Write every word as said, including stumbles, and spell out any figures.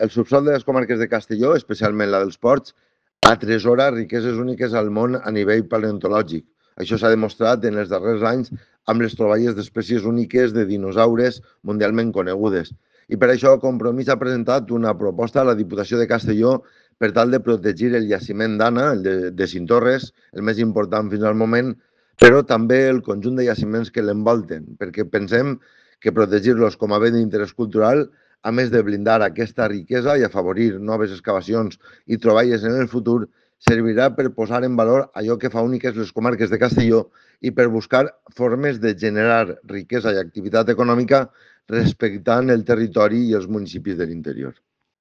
El subsòl de les comarques de Castelló, especialment la dels Ports, atresora riqueses úniques al món a nivell paleontològic. Això s'ha demostrat en els darrers anys amb les troballes d'espècies úniques de dinosaures mundialment conegudes. I per això Compromís ha presentat una proposta a la Diputació de Castelló per tal de protegir el jaciment d'Anna, el de, de Cintorres, el més important fins al moment, però també el conjunt de jaciments que l'envolten, perquè pensem que protegir-los com a bé d'interès cultural, a més de blindar aquesta riquesa i afavorir noves excavacions i troballes en el futur, servirà per posar en valor allò que fa úniques les comarques de Castelló i per buscar formes de generar riquesa i activitat econòmica respectant el territori i els municipis de l'interior.